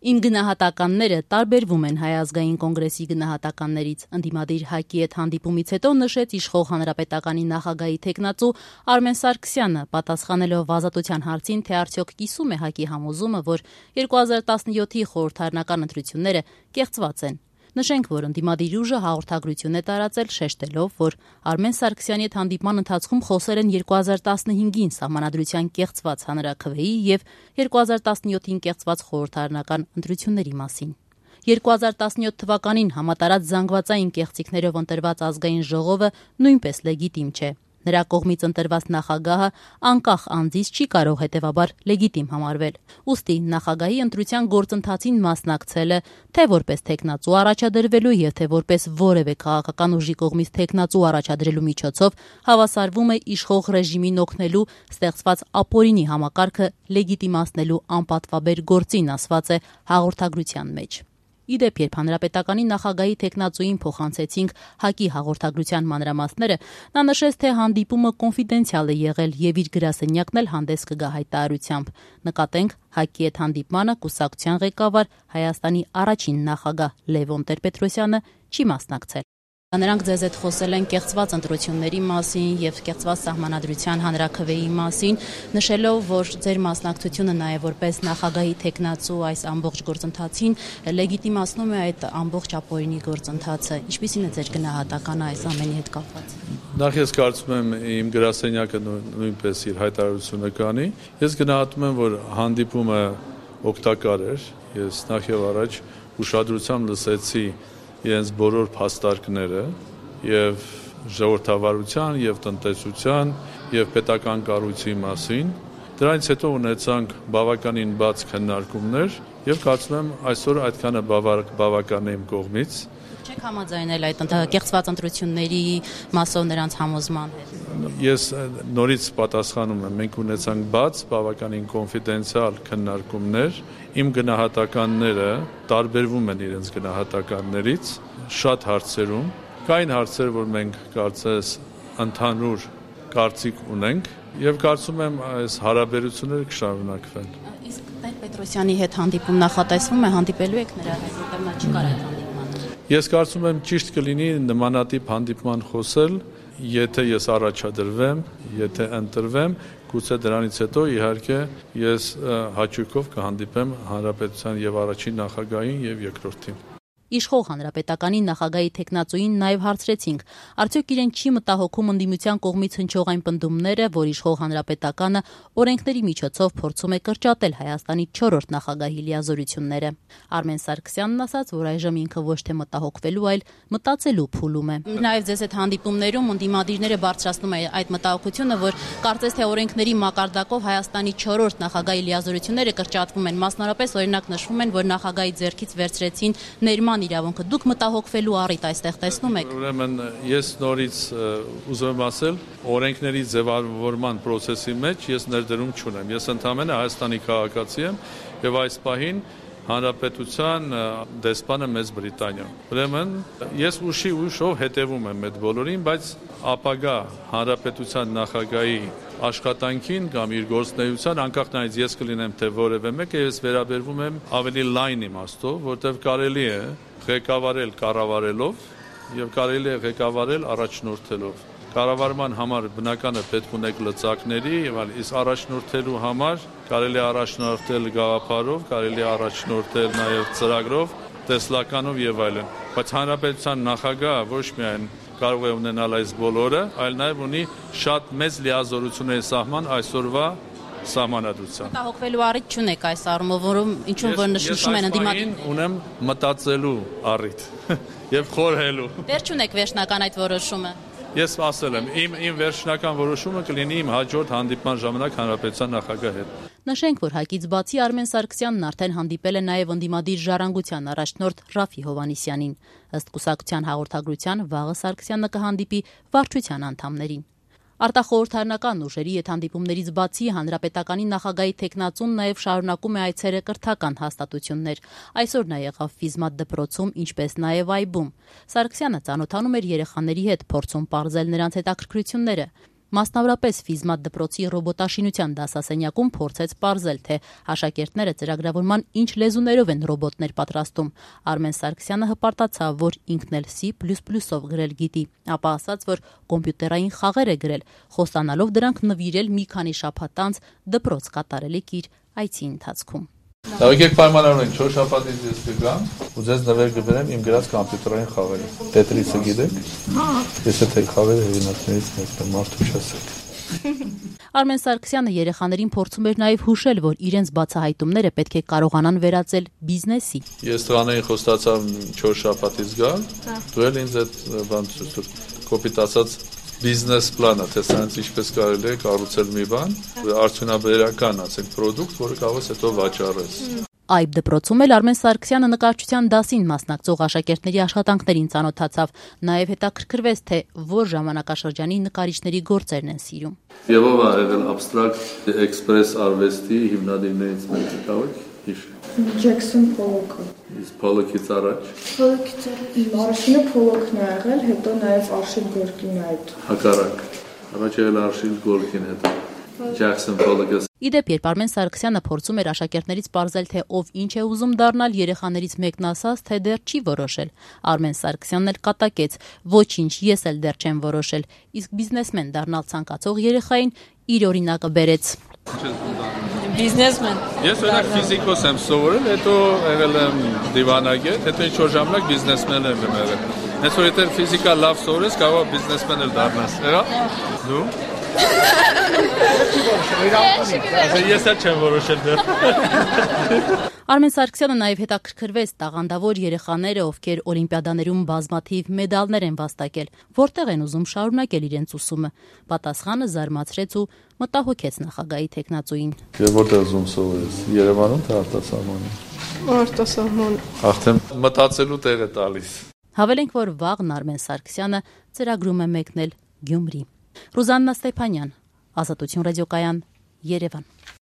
Իմ գնահատականները տարբերվում են Հայ ազգային կոնգրեսի գնահատականներից, ընդդիմադիր ՀԱԿ-ի հետ հանդիպումից հետո նշեց իշխող հանրապետականի նախագահի թեկնածու Արմեն Սարգսյանը, պատասխանելով Ազատության հարցին, թե արդյոք կիսում է ՀԱԿ-ի համոզումը, որ 2017-ի խորհրդարանական ընտրությունները կեղծված են։ Նշենք, որ ընդդիմադիր ուժը հաղորդագրություն է տարածել, շեշտելով, որ Արմեն Սարգսյանի հետ հանդիպման ընթացքում խոսել են 2015-ին սահմանադրության կեղծված հանրաքվեի եւ 2017-ին կեղծված խորհրդարանական ընտրությունների մասին։ 2017 թվականին համատարած զանգվածային կեղծիքներով ընտրված ազգային ժողովը նույնպես լեգիտիմ չէ։ Նրա կողմից ընտրված նախագահը անկախ անձից չի կարող հետևաբար լեգիտիմ համարվել։ Ուստի նախագահի ընտրության գործընթացին մասնակցելը թե որպես թեկնածու առաջադրվելու եւ թե որպես որևէ քաղաքական ուժի կողմից թեկնածու առաջադրելու միջոցով հավասարվում է իշխող ռեժիմին օգնելու ստեղծված ապօրինի համակարգը լեգիտիմացնելու անպատվաբեր գործին, ասված է հաղորդագրության մեջ։ Իդեպ, երբ հանրապետականի նախագահի թեկնածուին փոխանցեցինք ՀԱԿ-ի հաղորդագրության մանրամասները, նա նշեց, թե հանդիպումը կոնֆիդենցիալ է եղել եւ իր գրասենյակն էլ հանդես կգա հայտարարությամբ։ Նկատենք, ՀԱԿ-ի հետ հանդիպմանը կուսակցության ղեկավար Հայաստանի առաջին նախագահ Լևոն Տեր-Պետրոսյանը չի մասնակցել։ Նրանք ձեզ հետ խոսել են կեղծված ընտրությունների մասին եւ կեղծված սահմանադրության հանրաքվեի մասին, նշելով, որ ձեր մասնակցությունը նաեւ որպես նախագահի թեկնածու այս ամբողջ գործընթացին լեգիտիմացնում է այդ ամբողջ ապօրինի գործընթացը։ Ինչպիսին է ձեր գնահատականը այս ամենի հետ կապված։ Նախ ես կարծում եմ իմ գրասենյակը նույնպես իր հայտարարությունը կանի։ Ես գնահատում եմ, որ հանդիպումը օգտակար էր։ Ես նախ եւ առաջ ուշադրությամբ լսեցի իրենց բոլոր փաստարկները եւ ժողովրդավարության եւ տնտեսության եւ պետական կառույցի մասին։ Դրանից հետո ունեցանք բավականին բաց քննարկումներ եւ կարծում եմ այսօր այդքանը բավական է իմ կողմից։ Չեք համաձայնել այդ կեղծված ընտրությունների մասով նրանց համոզման հետ։ Ես նորից պատասխանում եմ, մենք ունեցանք բաց, բավականին կոնֆիդենցիալ քննարկումներ, իմ գնահատականները տարբերվում են իրենց գնահատականներից շատ հարցերում, կային հարցեր, որ մենք կարծես ընդհանուր կարծիք ունենք եւ կարծում եմ այս հարաբերությունները կշարունակվեն։ Իսկ Տեր-Պետրոսյանի հետ հանդիպում նախատեսվում է, հանդիպելու եք նրա հետ, որտեղ նա չկար այդ հանդիպմանը։ Ես կարծում եմ ճիշտ կլինի նմանատիպ հանդիպման խոսել, եթե ես առաջադրվեմ, եթե ընտրվեմ, գուցե դրանից հետո իհարկե ես հաճույքով կհանդիպեմ հանրապետության եւ առաջին նախագահին եւ երկրորդին։ Իշխող հանրապետականի նախագահի թեկնածուին նաև հարցրեցինք, արդյոք իրեն չի մտահոգում ընդդիմության կողմից հնչող այն պնդումները, որ իշխող հանրապետականը օրենքների միջոցով փորձում է կրճատել Հայաստանի 4-րդ նախագահի լիազորությունները։ Արմեն Սարգսյանն ասաց, որ այժմ ինքը ոչ թե մտահոգվելու, այլ մտածելու փուլում է։ Նաև ձեզ այդ հանդիպումներում ընդդիմադիրները բարձրացնում են այդ մտահոգությունը, որ կարծես թե օրենքների մակարդակով Հայաստանի 4-րդ նախագահի լիազորությունները կրճատվում են, մասնավորապես օրինակ նշվում են, որ նախագահի ձեռքից վերցրեցին ներման իրավունքը։ Դուք մտահոգվելու առիթ այստեղ տեսնում եք։ Ուրեմն ես նորից ուզում եմ ասել, օրենքների ձևավորման process-ի մեջ ես ներդրում չունեմ։ Ես ընդհանրապես Հայաստանի քաղաքացի եմ եւ այս պահին հանրապետության դեսպանը Մեծ Բրիտանիա։ Ուրեմն ես ուշով հետևում եմ այդ բոլորին, բայց ապագա հանրապետության նախագահի աշխատանքին կամ իր գործունեության անկախ նրանից ես կլինեմ թե որևէ մեկը, ես վերաբերվում եմ ավելի լայն իմաստով, որտեղ կարելի է ղեկավարել կառավարելով եւ կարելի է ղեկավարել առաջնորդելով։ Կառավարման համար բնական է պետք ունեք լծակների եւ այլ, իսկ առաջնորդելու համար կարելի է առաջնորդել գաղափարով, կարելի է առաջնորդել նաեւ ծրագրով, տեսլականով եւ այլն։ Բայց հանրապետության նախագահը ոչ միայն կարող է ունենալ այս բոլորը, այլ նաեւ ունի շատ մեծ լիազորությունների սահման այսօրվա սահմանադրության։ Մտահոգվելու առիթ չունեք այս առումով, որում ինչու որ նշում են ընդդիմադիրները։ Ունեմ մտածելու առիթ եւ խորհելու։ Դեռ չունեք վերջնական այդ որոշումը։ Ես ասել եմ, իմ վերջնական որոշումը կլինի իմ հաջորդ հանդիպման ժամանակ հանրապետության նախագահի հետ։ Նշենք, որ ՀԱԿ-ից բացի Արմեն Սարգսյանն արդեն հանդիպել է նաև ընդդիմադիր ժառանգության առաջնորդ Ռաֆի Հովհաննիսյանին։ Ըստ կուսակցության հաղորդագրության վաղը Սարգսյանը կհանդիպի վարչության անդամներին։ Արտախորհրդարանական ուժերի հետ հանդիպումներից բացի հանրապետականի նախագահի թեկնածուն նաև շարունակում է այցերը կրթական հաստատություններ։ Այսօր նա եղավ Ֆիզմատ դպրոցում, ինչպես նաև Այբում։ Սարգսյանը ծանոթանում էր երեխաների հետ, փորձում պարզել նրանց հետաքրքրությունները։ մասնավորապես Ֆիզմատ դպրոցի ռոբոտաշինության դասասենյակում փորձեց պարզել, թե աշակերտները ծրագրավորման ինչ լեզուներով են ռոբոտներ պատրաստում։ Արմեն Սարգսյանը հպարտացավ, որ ինքն էլ C++-ով գրել գիտի, ապա ասաց, որ կոմպյուտերային խաղեր է գրել, խոստանալով դրանք նվիրել մի քանի շաբաթ անց դպրոց կատարելիք իր այցի ընթացքում։ Եկեք պայմանավորենք 4 շաբաթից ես կգամ ու ձեզ նվեր կբերեմ իմ գրած կոմպյուտերային խաղերը։ Տետրիսը գիտեք։ Ես այդ խաղերը հեղինակներից մեկն եմ, մարդու չասեք։ Արմեն Սարգսյանը երեխաներին փորձում էր նաև հուշել, որ իրենց բացահայտումները պետք է կարողանան վերածել բիզնեսի։ Ես տղաներին խոստացավ 4 շաբաթից գալ, դու էլ ինձ այդ կոպիտ ասած բիզնես պլանը, թե սրանց ինչպես կարելի է կառուցել մի բան, արդյունաբերական, ասենք, պրոդուկտ, որը կարող ես հետո վաճառես։ Այբ դպրոցում էլ Արմեն Սարգսյանը նկարչության դասին մասնակցող աշակերտների աշխատանքներին ծանոթացավ, նաև հետաքրքրվեց, թե որ ժամանակաշրջանի նկարիչների գործերն են սիրում։ Եվ ով ա եղել абստրակտ էքսպրես արվեստի հիմնադիրներից մեկը, կարող եք Ջեքսոն Փոլոքը։ Իսկ Փոլոքից առաջ։ Փոլոքից առաջ։ Իմ առաջինը Փոլոքն է եղել, հետո նաև Արշիլ Գորկին է այդ։ Հակառակ։ Առաջ եղել Արշիլ Գորկին, հետո Ջեքսոն Փոլոքը։ Իդեպ, երբ Արմեն Սարգսյանը փորձում էր աշակերտներից պարզել, թե ով ինչ է ուզում դառնալ, երեխաներից մեկն ասաց, թե դեռ չի որոշել։ Արմեն Սարգսյանն էլ կատակեց. «Ոչինչ, ես էլ դեռ չեմ որոշել»։ Իսկ բիզնեսմեն դառնալ ցանկացող երեխային իր օրինակը բերեց։ Բիզնեսմեն։ Ես օրինակ ֆիզիկոս եմ սովորել, հետո եղել եմ դիվանագետ, հետո ինչ-որ ժամանակ բիզնեսմեն եմ եղել։ Հենց որ եթե ֆիզիկա լավ սովորես, կարող է բիզնեսմեն էլ դառնաս։ Էա՞։ Դու։ Ես էլ չեմ որոշել դեռ։ Արմեն Սարգսյանը նաև հետաքրքրվեց տաղանդավոր երեխաները, ովքեր օլիմպիադաներում բազմաթիվ մեդալներ են վաստակել, որտեղ են ուզում շարունակել իրենց ուսումը։ Պատասխանը զարմացրեց ու մտահոգեց նախագահի թեկնածուին։ Եվ որտեղ ուզում սովորես, Երևանում թե արտասահմանում։ Արտասահման։ Արդեն մտածելու տեղ է տալիս։ Հավելենք, որ վաղն Արմեն Սարգսյանը ծրագրում է մեկնել Գյումրի։ Ռուզաննա Ստեփանյան, Ազատություն ռադիոկայան, Երևան։